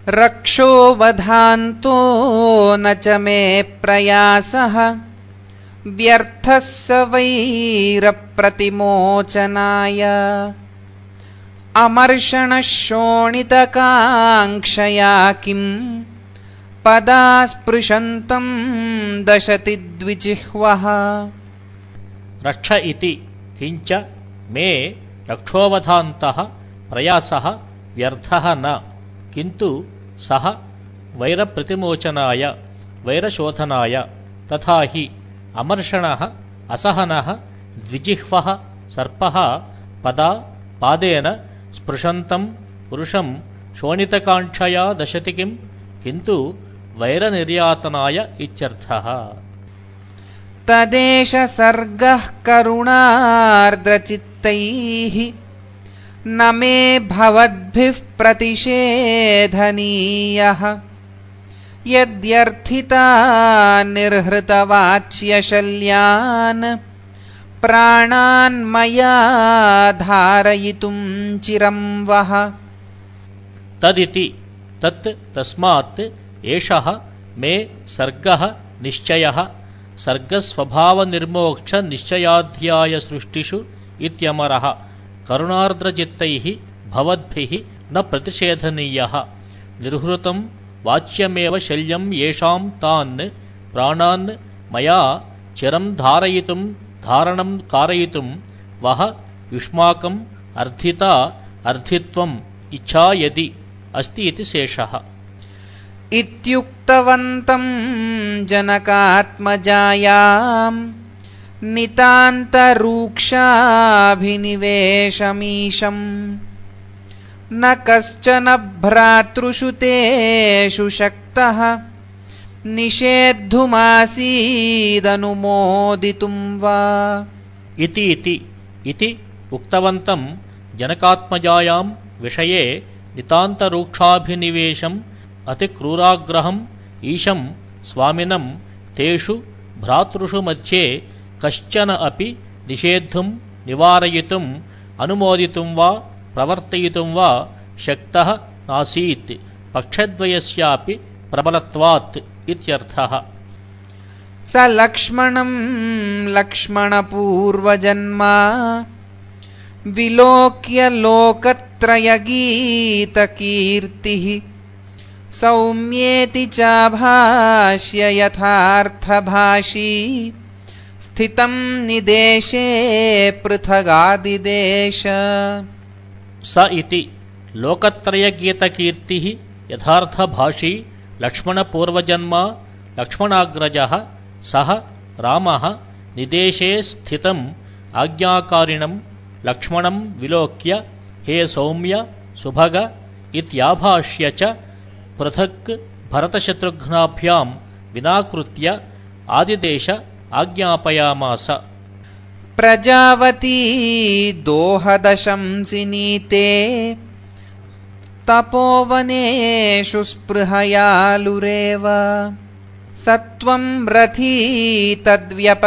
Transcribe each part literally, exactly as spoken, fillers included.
रक्षो वधान्तो न च मे प्रयासः व्यर्थः स वैरप्रतिमोचनाय अमर्षणः शोणितकाङ्क्षया किं पदा स्पृशन्तं दशति द्विजिह्वः। रक्ष इति किंच मे रक्षोवधान्तः प्रयासः व्यर्थः न किन्तु सः वैरप्रतिमोचनाय वैरशोधनाय तथा हि अमर्षणः असहनः द्विजिह्वः सर्पः पदा पादेन स्पृशन्तं पुरुषं शोणितकाङ्क्षया दशति किं किन्तु वैरनिर्यातनाय इत्यर्थः। तदेष सर्गः करुणार्द्रचित्तैः न मे भवद्भिः प्रतिषेधनीयः यद्यर्थिता निर्हृतवाच्यशल्यान् प्राणान् मया धारयितुं चिरं वः। तदिति तत् तस्मात् एषः मे सर्गः निश्चयः सर्गस्वभावनिर्मोक्ष निश्चयाध्याय सृष्टिषु इत्यमरः करुणार्द्रचित्तैः भवद्भिः न प्रतिषेधनीयः निर्हृतं वाच्यमेव शल्यं येषां तान् प्राणान् मया चिरं धारयितुं धारणं कारयितुं वः युष्माकम् अर्थिता अर्थित्वम् इच्छा यदि अस्ति इति शेषः। इत्युक्तवन्तं जनकात्मजायाम् नितान्तरूक्षाभिनिवेशमीशम् न कश्चन भ्रातृषु तेषु शक्तः निषेद्धुमासीदनुमोदितुं वा। इति इति इति उक्तवन्तं जनकात्मजायां विषये नितान्तरूक्षाभिनिवेशम् अतिक्रूराग्रहम् ईशं स्वामिनं तेषु भ्रातृषु मध्ये कश्चन अपि निषेद्धुं निवारयितुम् अनुमोदितुं वा प्रवर्तयितुं वा शक्तः नासीत् पक्षद्वयस्यापि प्रबलत्वात् इत्यर्थः। स लक्ष्मणं लक्ष्मणपूर्वजन्मा विलोक्य लोकत्रयगीतकीर्तिः सौम्येति चाभाष्य यथार्थभाषी स्थितं निदेशे पृथगादिदेश। स इति लोकत्रयगीतकीर्तिः यथार्थभाषी लक्ष्मणपूर्वजन्मा लक्ष्मणाग्रजः सः रामः निदेशे स्थितम् आज्ञाकारिणं लक्ष्मणं विलोक्य हे सौम्य सुभग इत्याभाष्य च पृथक् भरतशत्रुघ्नाभ्यां विनाकृत्य आदिदेश आज्ञापयामास। प्रजावती दोहदशंसिनीते तपोवनेषु स्पृहयालुरेव सत्वं रथी तद्व्यपदेशनेयां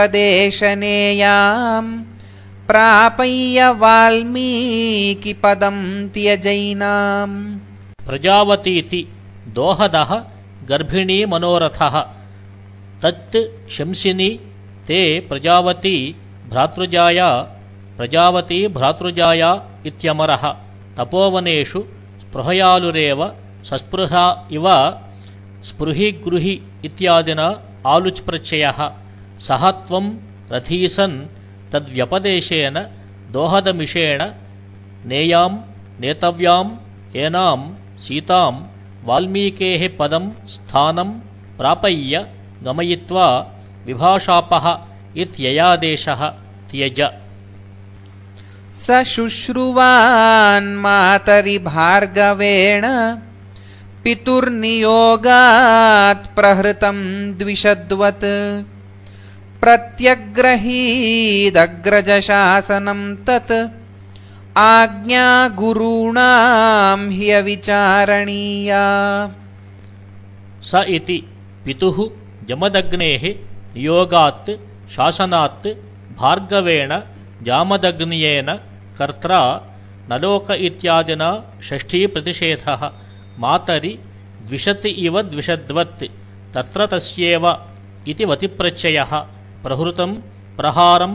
प्रापय्य वाल्मीकिपदं त्यजैनाम्। प्रजावतीति दोहदः गर्भिणी मनोरथः तत् शंसिनी ते प्रजावती भ्रातृजाया प्रजावती भ्रातृजाया इत्यमरः तपोवनेषु स्पृहयालुरेव सस्पृहा इव स्पृहि गृहि इत्यादिना आलुच् प्रत्ययः सः त्वं रथीसन् तद्व्यपदेशेन दोहदमिषेण नेयां नेतव्यां एनां सीतां वाल्मीकेः पदं स्थानं प्रापय्य गमयित्वा विभाषापः इत्ययादेशः त्यज। स शुश्रुवान् मातरि भार्गवेण पितुर्नियोगात् प्रहृतं द्विषद्वत् प्रत्यग्रहीदग्रजशासनं तत् आज्ञा गुरूणां ह्यविचारणीया। स इति पितुः जमदग्नेः नियोगात् शासनात् भार्गवेण जामदग्न्येन कर्त्रा नलोक इत्यादिना षष्ठी प्रतिषेधः मातरि द्विषत् इव द्विषद्वत् तत्र तस्येव इति वतिप्रत्ययः प्रहृतं प्रहारं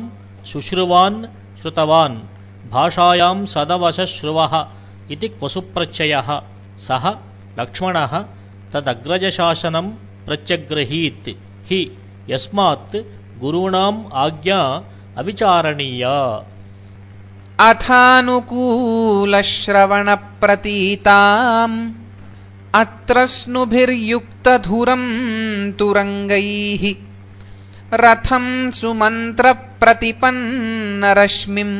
शुश्रुवान् श्रुतवान् भाषायां सदवशश्रुवः इति क्वसुप्रत्ययः सः लक्ष्मणः तदग्रजशासनं प्रत्यग्रहीत् हि यस्मात् गुरूणाम् आज्ञा अविचारणीया। अथानुकूलश्रवणप्रतीताम् अत्र स्नुभिर्युक्तधुरं तुरङ्गैः रथं सुमन्त्रप्रतिपन्नरश्मिम्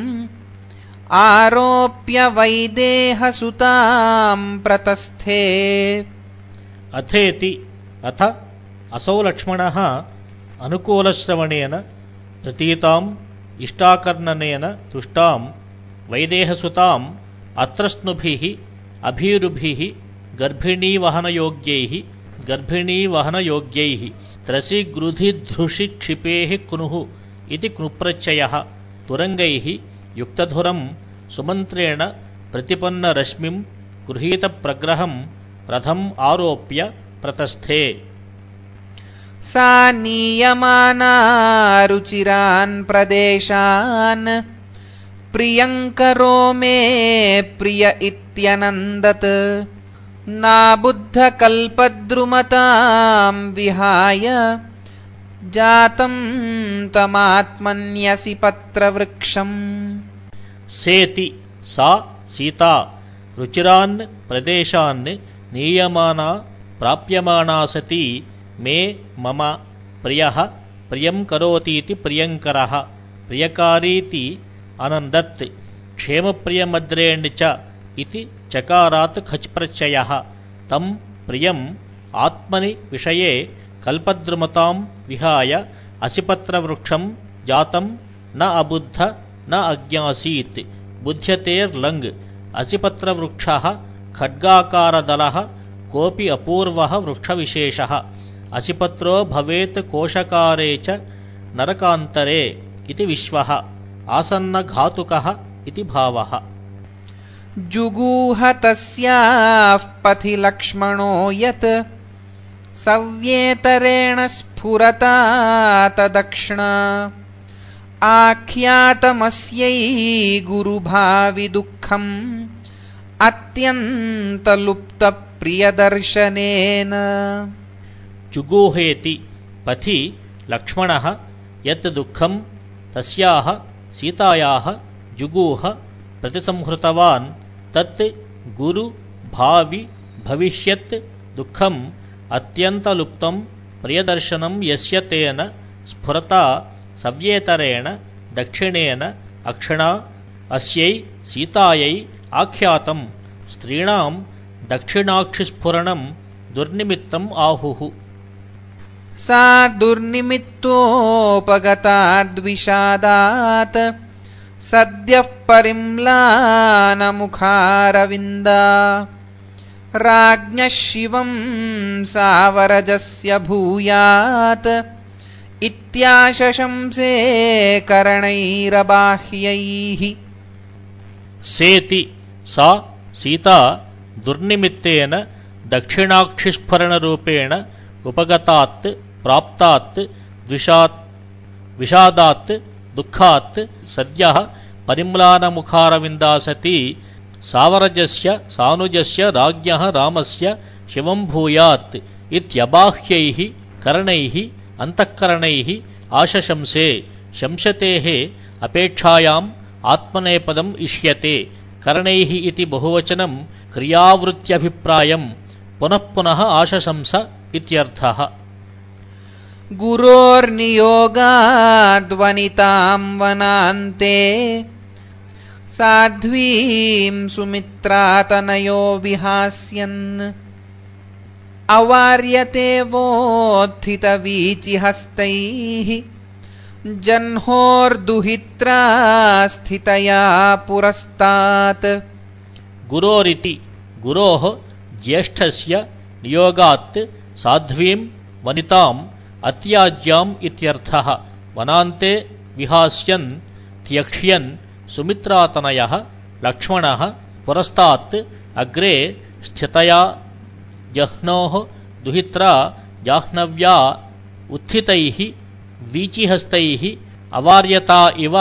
आरोप्य वैदेहसुतां प्रतस्थे। अथेति अथ असौ लक्ष्मणः अनुकूलश्रवणेन प्रतीताम् इष्टाकर्णनेन तुष्टां वैदेहसुताम् अत्रस्नुभिः अभीरुभिः गर्भिणीवहनयोग्यैः गर्भिणीवहनयोग्यैः त्रसिगृधिधृषिक्षिपेः क्नुः इति क्नुप्रत्ययः तुरङ्गैः युक्तधुरं सुमन्त्रेण प्रतिपन्नरश्मिं गृहीतप्रग्रहं रथम् आरोप्य प्रतस्थे। सा नीयमाना रुचिरान् प्रदेशान् प्रियङ्करो मे प्रिय इत्यनन्दत् नाबुद्धकल्पद्रुमतां विहाय जातं तमात्मन्यसि पत्रवृक्षम्। सेति सा सीता रुचिरान् प्रदेशान् नीयमाना प्राप्यमाना सती मे मम प्रियः प्रियं करोतीति प्रियङ्करः प्रियकारीति अनन्दत् क्षेमप्रियमद्रेण च इति चकारात् खच् प्रत्ययः तं प्रियम् आत्मनि विषये कल्पद्रुमतां विहाय असिपत्रवृक्षं जातं न अबुद्ध न अज्ञासीत्। बुध्यतेर्लङ् असिपत्रवृक्षः खड्गाकारदलः कोऽपि अपूर्वः वृक्षविशेषः असिपत्रो भवेत् कोशकारे च नरकान्तरे इति विश्वः आसन्नघातुकः इति भावः। जुगूह तस्याः पथि लक्ष्मणो यत् सव्येतरेण स्फुरता तदक्षिणा आख्यातमस्यै गुरुभावि दुःखम् अत्यन्तलुप्तप्रियदर्शनेन। जुगूहेति पथि लक्ष्मणः यत् दुःखं तस्याः सीतायाः जुगूह प्रतिसंहृतवान् तत् गुरु भावि भविष्यत् दुःखम् अत्यन्तलुप्तं प्रियदर्शनं यस्य तेन स्फुरता सव्येतरेण दक्षिणेन अक्षिणा अस्यै सीतायै आख्यातं स्त्रीणां दक्षिणाक्षिस्फुरणं दुर्निमित्तम् आहुः। सा दुर्निमित्तोपगताद्विषादात् सद्यः परिम्लानमुखारविन्दा राज्ञः शिवं सावरजस्य भूयात् इत्याशशंसे करणैरबाह्यैः। सेति सा सीता दुर्निमित्तेन दक्षिणाक्षिस्फुरणरूपेण उपगतात् प्राप्तात् द्विषात् विषादात् दुःखात् सद्यः परिम्लानमुखारविन्दा सती सावरजस्य सानुजस्य राज्ञः रामस्य शिवं भूयात् इत्यबाह्यैः करणैः अन्तःकरणैः आशशंसे शंसतेः अपेक्षायाम् आत्मनेपदम् इष्यते। करणैः इति बहुवचनं क्रियावृत्त्यभिप्रायं पुनः पुनः आशशंस इत्यर्थः। गुरोर्नियोगाद्वनितां वनान्ते साध्वीं सुमित्रातनयो विहास्यन् अवार्यते वोत्थितवीचिहस्तैः जह्नोर्दुहित्रा स्थितया पुरस्तात्। गुरोरिति गुरोः ज्येष्ठस्य नियोगात् साध्वीं वनिताम् अत्याज्याम् इत्यर्थः। वनान्ते विहास्यन् त्यक्ष्यन् सुमित्रातनयः लक्ष्मणः पुरस्तात् अग्रे स्थितया जह्नोः दुहित्रा जाह्नव्या उत्थितैः वीचिहस्तैः अवार्यता इव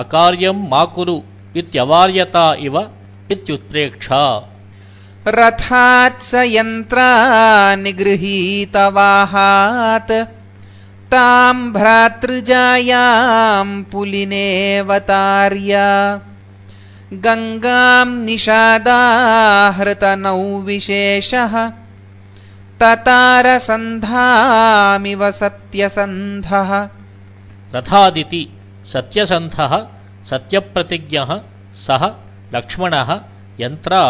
अकार्यं मा कुरु इत्यवार्यता इव इत्युत्प्रेक्षा। रथात् स यन्त्रा निगृहीतवाहात् तां भ्रातृजायां पुलिनेऽवतार्य गंगां निषादाहृतनौ विशेषः ततारसन्धामिव सत्यसन्धः। रथादिति सत्यसन्धः सत्यप्रतिज्ञः सः लक्ष्मणः यन्त्रा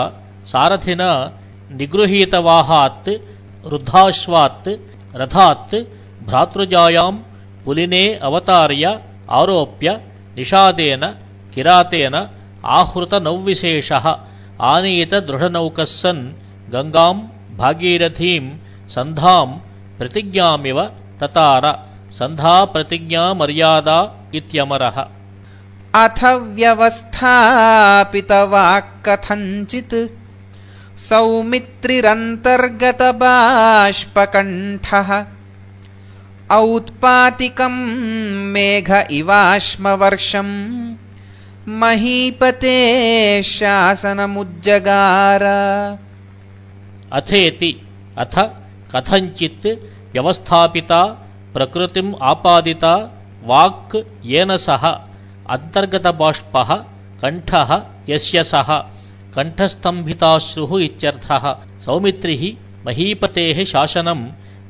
सारथिना निगृहीतवाहात् रुद्धाश्वात् रथात् भ्रातृजायां पुलिने अवतार्य आरोप्य निषादेन किरातेन आहृतनौविशेषः आनीतदृढनौकः सन् गंगां भागीरथीं सन्धां प्रतिज्ञामिव ततार सन्धा प्रतिज्ञा मर्यादा इत्यमरः। अथ व्यवस्थापितवाक्कथञ्चित् सौमित्रिरन्तर्गतबाष्पकण्ठः औत्पातिकं मेघ इवाश्मवर्षं महीपते शासनमुज्जगार। अथेति अथ कथञ्चित् व्यवस्थापिता प्रकृतिम् आपादिता वाक् येन सह अन्तर्गतबाष्पः कण्ठः यस्य सः कण्ठस्तम्भिताश्रुः इत्यर्थः। सौमित्रिः महीपतेः शासनं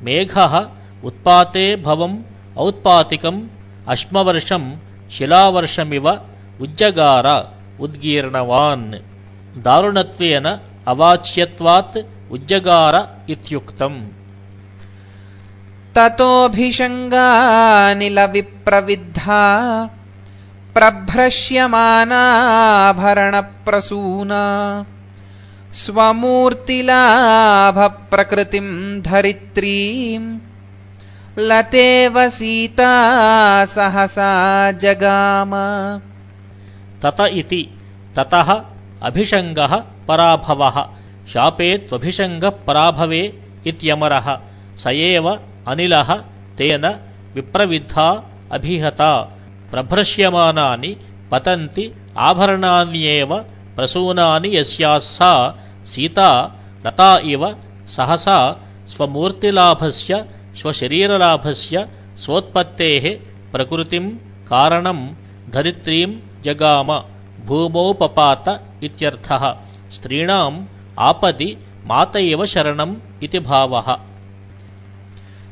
मेघः उत्पाते भवम् औत्पातिकम् अश्मवर्षं शिलावर्षमिव उज्जगार उद्गीर्णवान्। दारुणत्वेन अवाच्यत्वात् उज्जगार इत्युक्तम्। ततोऽभिषङ्गानिलविप्रविद्धा प्रभ्रश्यमानाभरणप्रसूना स्वमूर्तिलाभप्रकृतिं धरित्रीं लतेव सीता सहसा जगाम। तत इति ततः अभिषङ्गः पराभवः शापेत्वभिषङ्गः पराभवे इत्यमरः। स एव अनिलः तेन विप्रविद्धा अभिहता प्रभ्रश्यमानानि पतन्ति आभरणान्येव प्रसूनानि यस्याः सा सीता लता इव सहसा स्वमूर्तिलाभस्य स्वशरीरलाभस्य स्वोत्पत्तेः प्रकृतिं कारणं धरित्रीं जगाम भूमौ पपात इत्यर्थः। स्त्रीणाम् आपदि मात एव शरणम् इति भावः।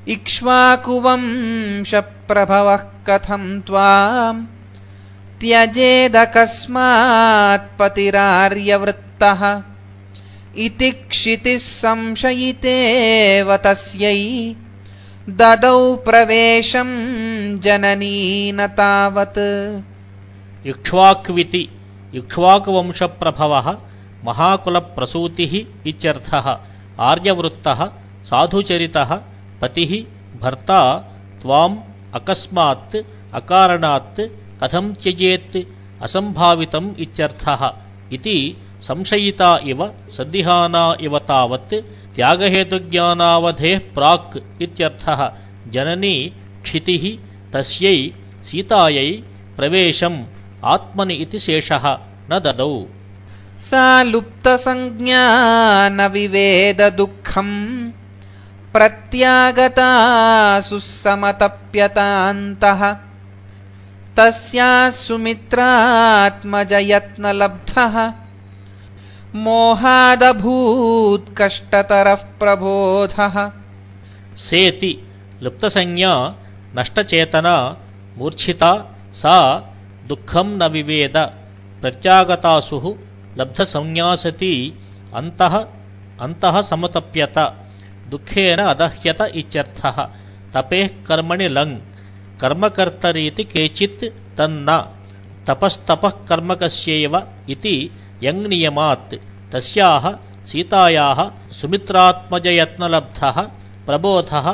इक्ष्वाकुवंशप्रभवः कथं त्वां त्यजेदकस्मात्पतिरार्यवृत्तः इति क्षितिः संशयितेव तस्यै ददौ प्रवेशं जननी न तावत्। इक्ष्वाक्विति इक्ष्वाकुवंशप्रभवः महाकुलप्रसूतिः इत्यर्थः। आर्यवृत्तः साधुचरितः पतिः भर्ता त्वाम् अकस्मात् अकारणात् कथं त्यजेत् असम्भावितम् इत्यर्थः। इति संशयिता इव सन्दिहाना इव तावत् त्यागहेतुज्ञानावधेः प्राक् इत्यर्थः। जननी क्षितिः तस्यै सीतायै प्रवेशम् आत्मनि इति शेषः न ददौ। सा लुप्तसंज्ञा न विवेद दुःखम् प्रत्यागता सुसमतप्यतान्तः तस्याः सुमित्रात्मजयत्नलब्धः मोहादभूत् कष्टतरः प्रबोधः। सेति लुप्तसंज्ञा नष्टचेतना मूर्छिता सा दुःखं न विवेद प्रत्यागतासुः लब्धसंज्ञासती अन्तः अन्तः समतप्यत दुःखेन अदह्यत इत्यर्थः। तपेः कर्मणि लङ् कर्मकर्तरीति केचित् तन्न तपस्तपः कर्मकस्यैव इति यङ् नियमात् तस्याः सीतायाः सुमित्रात्मजयत्नलब्धः प्रबोधः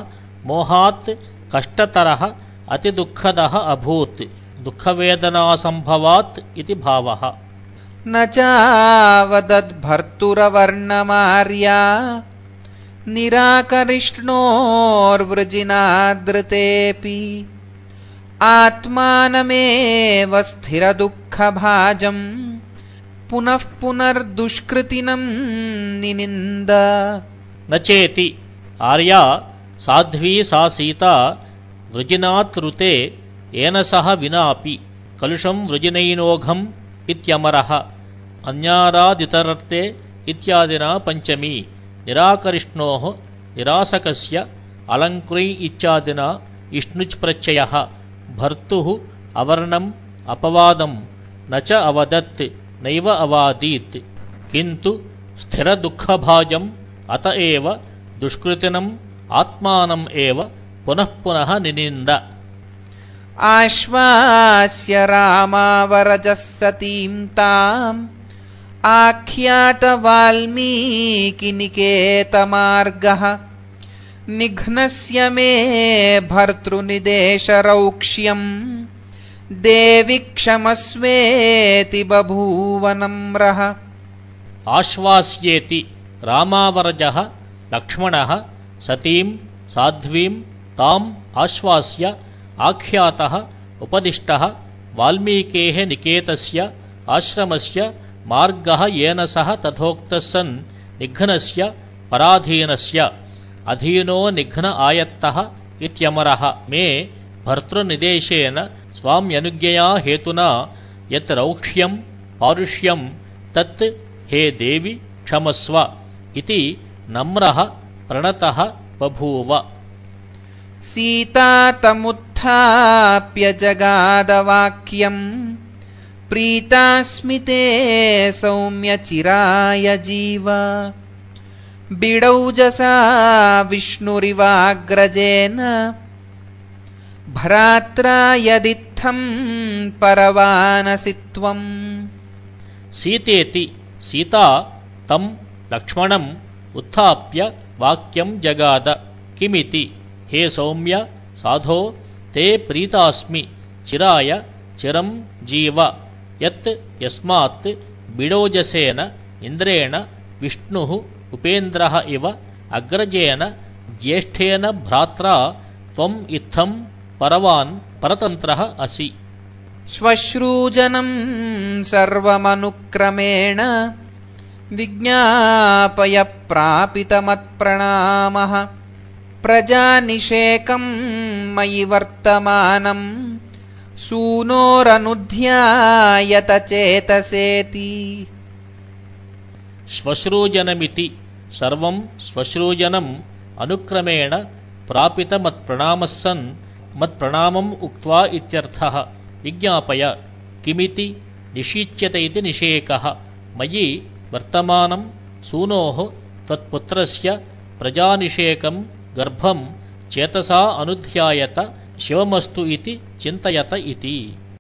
मोहात् कष्टतरः अतिदुःखदः अभूत् दुःखवेदनासम्भवात् इति भावः। न चावदद्भर्तुरवर्णमार्या निराकरिष्णोर्वृजिनादृतेऽपि आत्मानमेव स्थिरदुःखभाजम् पुनः पुनर्दुष्कृतिनं निनिन्द। न चेति आर्या साध्वी सा सीता वृजिनात् ऋते येन सह विनापि कलुषं वृजिनैनोघम् इत्यमरः अन्यारादितरर्थे इत्यादिना पञ्चमी निराकरिष्णोः निरासकस्य अलङ्कृ इत्यादिना इष्णुच् प्रत्ययः भर्तुः अवर्णम् अपवादम् न च अवदत् नैव अवादीत् किन्तु स्थिरदुःखभाजम् अत एव दुष्कृतिनम् आत्मानम् एव पुनः पुनः निनिन्द। आश्वास्य रामावरजः सतीं ताम् आख्यातवाल्मीकिनिकेतमार्गः निघ्नस्य मे भर्तृनिदेशरौक्ष्यम् देवि क्षमस्वेति बभूव नम्रः। आश्वास्येति रामावरजः लक्ष्मणः सतीं साध्वीं ताम् आश्वास्य आख्यातः उपदिष्टः वाल्मीकेः निकेतस्य आश्रमस्य मार्गः येन सह तथोक्तः सन् निघ्नस्य पराधीनस्य अधीनो निघ्न आयत्तः इत्यमरः मे भर्तृनिदेशेन स्वाम्यनुज्ञया हेतुना यत् रौक्ष्यं पारुष्यं तत् हे देवि क्षमस्व इति नम्रः प्रणतः बभूव। सीता तमुत्थाप्य जगादवाक्यम् प्रीतास्मि ते सौम्य चिराय जीव बिडौजसा विष्णुरिवाग्रजेन भ्रात्रा यदित्थं परवानसि त्वम्। सीतेति सीता तं लक्ष्मणम् उत्थाप्य वाक्यं जगाद किमिति हे सौम्य साधो ते प्रीतास्मि चिराय चिरं जीव यत् यस्मात् बिडोजसेन इन्द्रेण विष्णुः उपेन्द्रः इव अग्रजेन ज्येष्ठेन भ्रात्रा त्वम् इत्थं परवान् परतन्त्रः असि। श्वश्रूजनं सर्वमनुक्रमेण विज्ञापय प्रापितमत्प्रणामः प्रजानिषेकं मयि वर्तमानम् सूनोरनुध्यायत चेतसेति। श्वश्रूजनमिति सर्वं श्वश्रूजनम् अनुक्रमेण प्रापितमत्प्रणामः सन् मत्प्रणामम् उक्त्वा इत्यर्थः। विज्ञापय किमिति निषीच्यते इति निषेकः मयि वर्तमानं सूनोः त्वत्पुत्रस्य प्रजानिषेकं गर्भं चेतसा अनुध्यायत शिवमस्तु इति चिन्तयत इति।